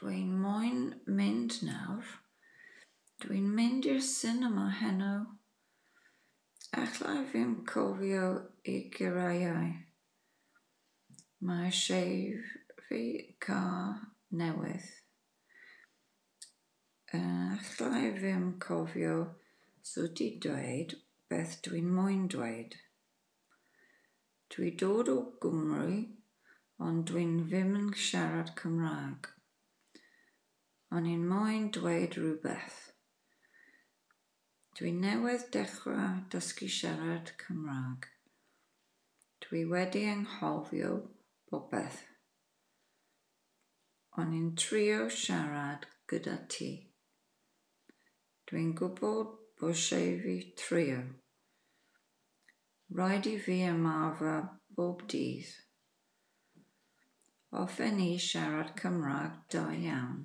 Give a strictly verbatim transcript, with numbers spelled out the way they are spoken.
Dwi'n moyn mynd nawr. Dwi'n mynd i'r sinema heno. Alla i ddim cofio y geiriau. Mae eisiau fi car newydd. Alla i ddim cofio sut i dweud beth dwi'n moyn dweud. Dwi dod o Gymru ond dwi'n ddim yn siarad Cymraeg. O'n i'n moyn dweud rhywbeth. Dwi newydd dechrau dysgu siarad Cymraeg. Dwi wedi anghofio popeth. O'n i'n trio siarad gyda ti. Dwi'n gwybod bod eisiau fi trio. Rhaid i fi ymarfer bob dydd. Hoffen i siarad Cymraeg da iawn.